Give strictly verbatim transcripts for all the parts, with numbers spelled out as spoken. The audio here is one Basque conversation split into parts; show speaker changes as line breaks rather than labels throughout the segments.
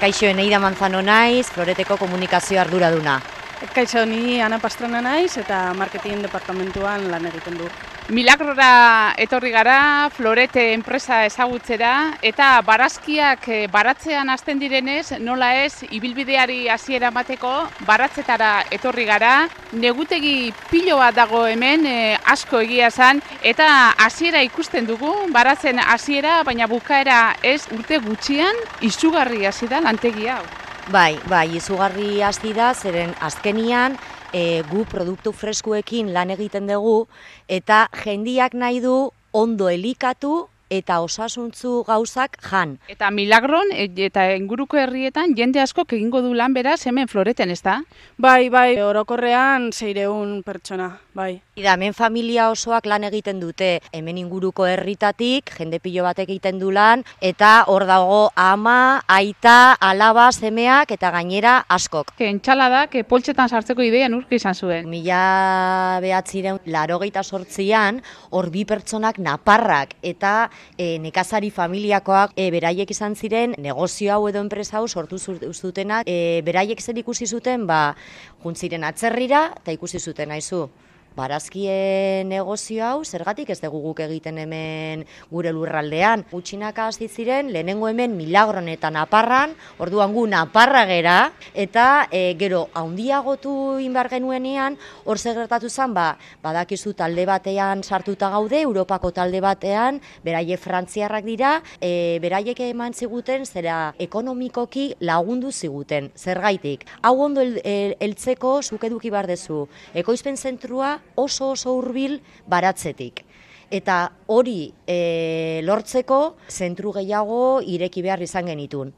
Kaixo, Eneida Manzano naiz, Floreteko komunikazio arduraduna.
Kaixo, ni Ana Pastrana naiz eta marketing departamentuan lan egiten du.
Milagrora etorri gara, Florete enpresa ezagutzera, eta barazkiak baratzean hasten direnez, nola ez, ibilbideari hasiera emateko, baratzetara etorri gara. Negutegi pilo bat dago hemen, eh, asko egia esan, eta hasiera ikusten dugu, baratzen hasiera, baina bukaera ez urte gutxian, izugarri hasi da lantegi hau.
Bai, bai, izugarri hasi da, zeren azkenian, E, gu produktu freskuekin lan egiten dugu eta jendiak nahi du ondo elikatu eta osasuntzu gauzak jan.
Eta Milagron eta inguruko herrietan jende askok egingo du lan beraz hemen Floreten, ez da?
Bai, bai, orokorrean seiehun pertsona, bai.
Ida, hemen familia osoak lan egiten dute, hemen inguruko herritatik, jende pilo batek egiten du lan, eta hor dago ama, aita, alaba, semeak eta gainera askok.
Entxaladak poltsetan sartzeko ideia nurk izan zuen.
Mila behatzireun larogeita sortzian, hor bi pertsonak naparrak eta e, nekazari familiakoak e, beraiek izan ziren negozio hau edo enpresa hau sortu zutenak, e, beraiek zer ikusi zuten, ba, juntziren atzerrira eta ikusi zuten haizu. Barazkien negozio hau, zergatik ez dugu guk egiten hemen gure lurraldean. Gutxinaka hasi ziren, lehenengo hemen Milagron eta Naparran, orduan gu Naparra gera, eta e, gero haundiagotu inbar genuenean, hor gertatu zen, ba, badakizu talde batean sartuta gaude, Europako talde batean, beraiek frantziarrak dira, e, beraiek eman ziguten, zera ekonomikoki lagundu ziguten, zergaitik. Hau ondo heltzeko zuk eduki behar dezu, ekoizpen zentrua oso oso hurbil baratzetik. Eta hori e, lortzeko zentru gehiago ireki behar izan genitun.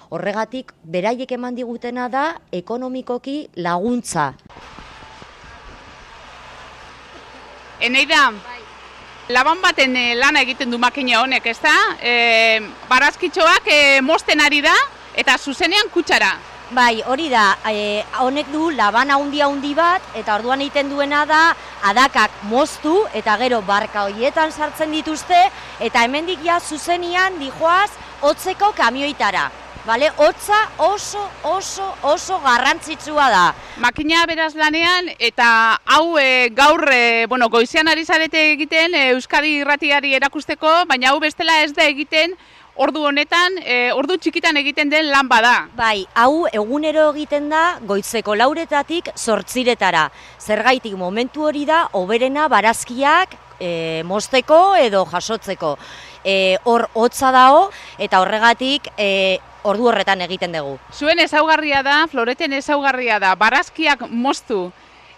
Horregatik, beraiek eman digutena da ekonomikoki laguntza.
Eneida, laban baten lana egiten du makina honek, ez da? E, barazkitxoak e, mosten ari da eta zuzenean kutsara.
Bai, hori da, e, honek du laban haundi haundi bat, eta orduan egiten duena da, adakak moztu, eta gero barka horietan sartzen dituzte, eta hemendik ja zuzenian dijoaz hotzeko kamioitara. Bale, hotza oso, oso, oso garrantzitsua da.
Makina beraz lanean, eta hau e, gaur, e, bueno, goizean ari zarete egiten, e, Euskadi irratiari erakusteko, baina hau bestela ez da egiten, ordu honetan, e, ordu txikitan egiten den lan bada.
Bai, hau egunero egiten da goizeko lauretatik zortziretara. Zergaitik momentu hori da, hoberena barazkiak e, mozteko edo jasotzeko. E, hor hotza dago eta horregatik e, ordu horretan egiten dugu.
Zuen ezaugarria da, Floreten ezaugarria da, barazkiak moztu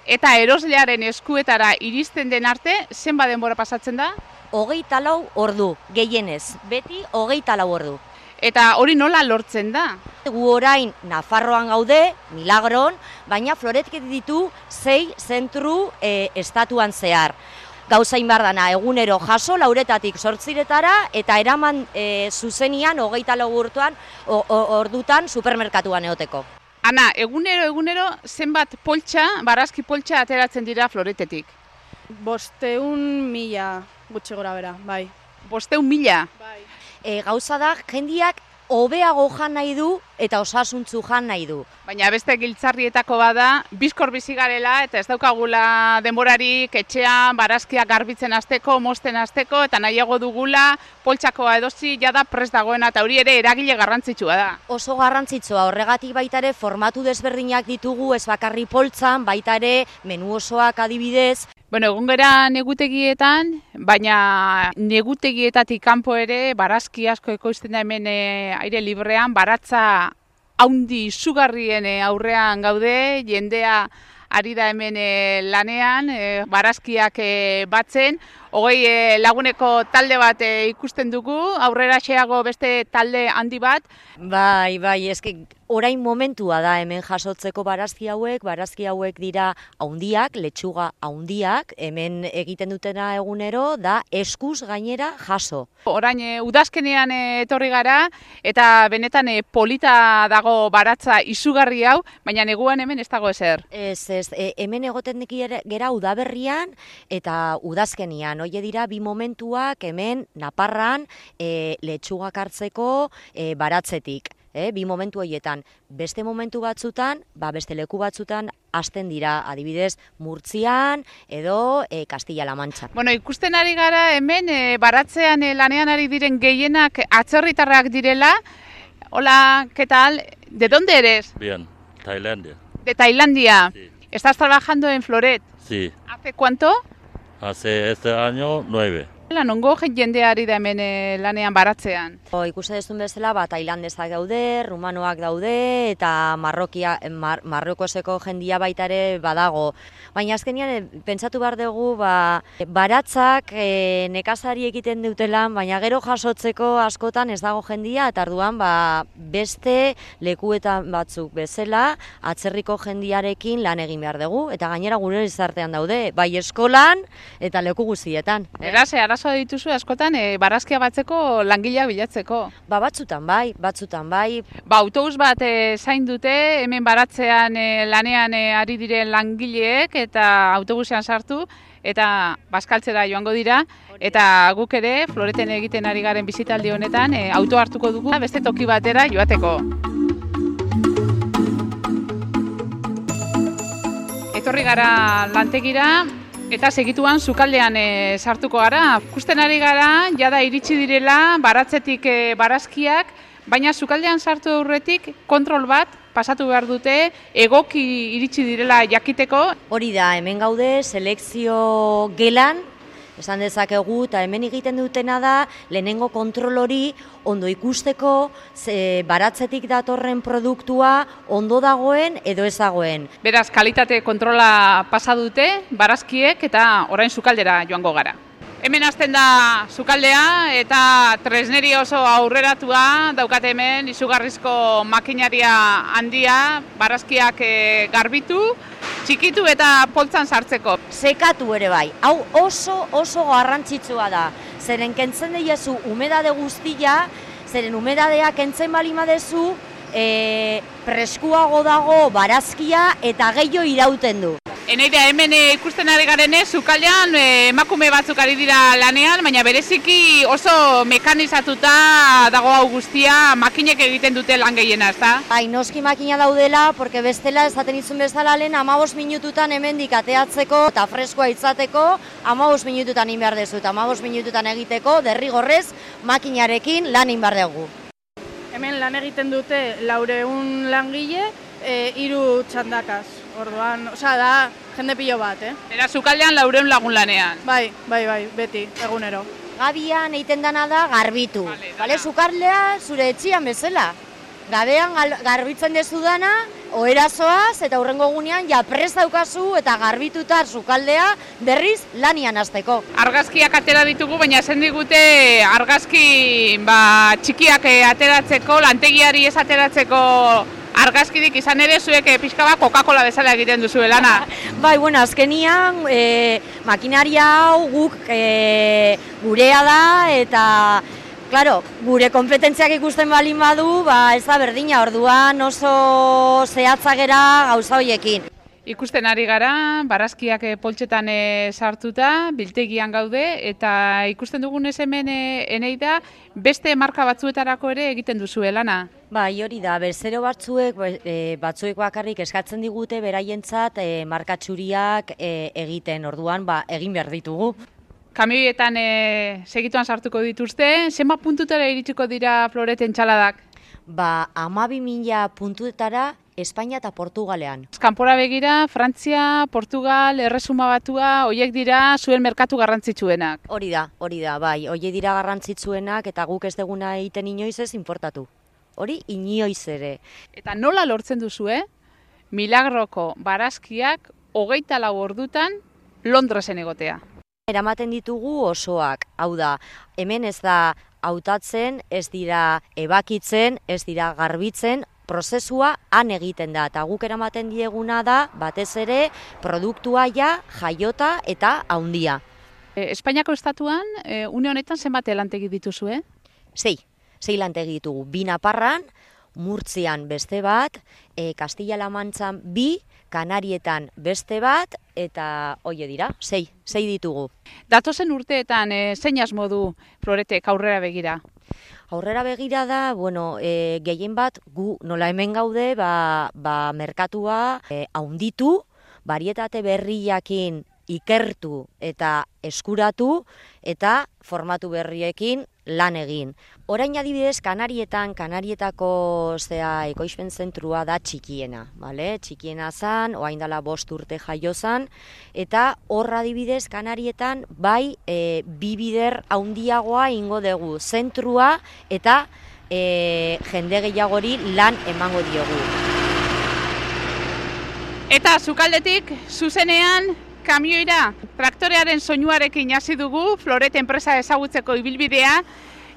eta eroslearen eskuetara iristen den arte, zenba denbora pasatzen da?
Hogeita lau ordu, gehienez, beti hogeita lau ordu.
Eta hori nola lortzen da?
Gu orain Nafarroan gaude, Milagron, baina Floretek ditu sei zentru e, estatuan zehar. Gauzain behar dana, egunero jaso, lauretatik zortziretara, eta eraman e, zuzenian hogeita lau urtuan, o, o, ordutan supermerkatuan eoteko.
Ana, egunero, egunero, zenbat poltsa, barazki poltsa ateratzen dira Floretetik?
Bosteun mila gutxi gora bera, bai.
Bosteun mila?
Bai.
E, gauza da, jendiak hobeago jan nahi du eta osasuntzu jan nahi du.
Baina beste giltzarrietako bada, bizkor bizi garela eta ez daukagula denborarik etxean barazkiak garbitzen hasteko, mozten hasteko eta nahiago dugula poltsakoa edozi jada prest dagoena eta hori ere eragile garrantzitsua da.
Oso garrantzitsua, horregatik baita ere formatu desberdinak ditugu, ez bakarri poltsan, baita ere menu osoak adibidez.
Bueno, egon gara negutegietan, baina negutegietatik kanpo ere barazki asko ekoizten da hemen e, aire librean, baratza haundi izugarrien e, aurrean gaude, jendea ari da hemen e, lanean, e, barazkiak e, batzen, hogei e, laguneko talde bat e, ikusten dugu, aurrera xeago beste talde handi bat.
Bai, bai, eske orain momentua da hemen jasotzeko barazki hauek, barazki hauek dira haundiak, letxuga haundiak, hemen egiten dutena egunero da eskuz gainera jaso.
Orain e, udazkenean e, etorri gara eta benetan e, polita dago baratza izugarri hau, baina neguan hemen ez dago ezer.
Ez, ez, e, hemen egoten gera udaberrian eta udazkenian, hoie dira bi momentuak hemen Naparran e, letxugak hartzeko e, baratzetik. eh, bi momentu horietan. Beste momentu batzutan, ba, beste leku batzutan, hasten dira, adibidez, Murtzian edo e, Castilla-La Mancha.
Bueno, ikusten ari gara hemen e, baratzean e, lanean ari diren gehienak atzerritarrak direla. Hola, ¿qué tal? ¿De dónde eres?
Bien, Tailandia.
De Tailandia.
Sí.
¿Estás trabajando en Floret?
Sí,
¿Hace cuánto?
hace este año nueve.
Nongo jende ari da hemen e, lanean baratzean.
O, ikusten duzun bezala, ba, tailandesak daude, rumanoak daude, eta marrokia, mar, marrokoseko jendia baita ere badago. Baina azkenean, pentsatu behar dugu, ba, baratzak e, nekazari egiten dutelan, baina gero jasotzeko askotan ez dago jendia, eta arduan ba, beste lekuetan batzuk bezala, atzerriko jendiarekin lan egin behar dugu, eta gainera gure gizartean daude, bai eskolan eta leku guztietan. Eh?
Beraz, arazoa dituzu askotan e, barazkia batzeko langileak bilatzeko.
Ba, batzutan bai, batzutan bai.
Ba, autobus bat e, zain dute, hemen baratzean e, lanean e, ari diren langileek eta autobusean sartu eta bazkaltzera joango dira. Eta guk ere, Floreten egiten ari garen bizitaldi honetan, e, auto hartuko dugu beste toki batera joateko. Etorri gara lantegira, eta segituan sukaldean e, sartuko gara. Ikusten ari gara, jada iritsi direla baratzetik e, barazkiak, baina sukaldean sartu aurretik kontrol bat pasatu behar dute, egoki iritsi direla jakiteko. Hori
da, hemen gaude selekzio gelan, esan dezakegu, eta hemen egiten dutena da, lehenengo kontrol hori ondo ikusteko, ze baratzetik datorren produktua ondo dagoen edo ez dagoen.
Beraz, kalitate kontrola pasa dute, barazkiek, eta orain sukaldera joango gara. Hemen hasten da sukaldea eta tresneri oso aurreratua daukate hemen, izugarrizko makinaria handia, barazkiak e, garbitu, txikitu eta poltzan sartzeko.
Sekatu ere bai, hau oso oso garrantzitsua da, zeren kentzen diezu umedade guztia, zeren umedadea kentzen bali madezu, e, preskuago dago barazkia eta gehiago irauten du.
Eneida, hemen e, ikusten ari garenez, sukaldean e, emakume batzuk ari dira lanean, baina bereziki oso mekanizatuta dago hau guztia, makinek egiten dute lan gehiena, ezta?
Bai, noski makina daudela, porque bestela esaten izun bezala lehen hamabost minututan hemendik ateatzeko eta freskoa izateko hamabost minututan egin behar dezu, eta hamabost minututan egiteko derrigorrez makinarekin lan egin behar dugu.
Hemen lan egiten dute laureun langile, e, hiru txandakaz. Orduan, osea da jende pilo bat, eh?
Era sukaldean laureun lagun lanean.
Bai, bai, bai, beti, egunero.
Gabian egiten dana da garbitu.
Vale,
Bale, sukaldea zure etxian bezala. Gabean garbitzen dezu dana, oherazoaz eta hurrengo egunean ja prest daukazu eta garbituta sukaldea berriz lanian hasteko.
Argazkiak atera ditugu, baina esan digute argazki ba, txikiak ateratzeko, lantegiari ez ateratzeko argazkidik izan ere zuek pixka bat Coca-Cola bezala egiten duzu lana.
Bai, bueno, azkenian e, makinaria hau guk e, gurea da eta claro, gure kompetentziak ikusten balin badu, ba ez da berdina, orduan oso zehatzagera gauza hoiekin.
Ikusten ari gara, barazkiak poltsetan e, sartuta, biltegian gaude, eta ikusten dugunez hemen e, Eneida, beste marka batzuetarako ere egiten duzu lana.
Bai, hori da, bezero batzuek, e, batzuek bakarrik eskatzen digute beraientzat e, markatxuriak e, egiten, orduan ba, egin behar ditugu.
Kamioietan e, segituan sartuko dituzte, zenba puntutara iritsiko dira Floreten txaladak?
Ba, hamabi mila puntuetara Espainia eta Portugalean.
Kanpora begira, Frantzia, Portugal, Erresuma Batua, hoiek dira zuen merkatu garrantzitsuenak.
Hori da, hori da, bai, hoiek dira garrantzitsuenak eta guk ez deguna egiten inoiz ez importatu. Hori inoiz ere.
Eta nola lortzen duzu, eh? Milagroko barazkiak hogeita lau ordutan Londresen egotea.
Eramaten ditugu osoak, hau da, hemen ez da hautatzen, ez dira ebakitzen, ez dira garbitzen, prozesua han egiten da, eta guk eramaten dieguna da, batez ere, produktua ja, jaiota eta haundia.
E, Espainiako estatuan, e, une honetan zenbat lantegi dituzu, eh?
Sei, sei lantegi ditugu, bi Naparran, Murtzian beste bat, e, Castilla-La Mantzan bi, Kanarietan beste bat, eta hoie dira, sei, sei ditugu.
Datozen urteetan, e, zein asmo du Floretek aurrera begira?
Aurrera begira da, bueno, e, gehien bat gu nola hemen gaude, ba, ba merkatua e, haunditu, barietate berriakin ikertu eta eskuratu eta formatu berriekin lan egin. Orain adibidez Kanarietan, Kanarietako zea ekoizpen zentrua da txikiena, bale? Txikiena zan, orain dela bost urte jaio zan, eta hor adibidez Kanarietan bai e, bi bider handiagoa ingo dugu zentrua eta e, jende gehiagori lan emango diogu.
Eta sukaldetik zuzenean kamioira, traktorearen soinuarekin hasi dugu Floret enpresa ezagutzeko ibilbidea,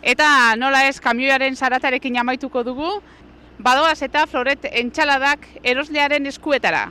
eta nola ez kamioiaren zaratarekin amaituko dugu, badoaz eta Floret entxaladak eroslearen eskuetara.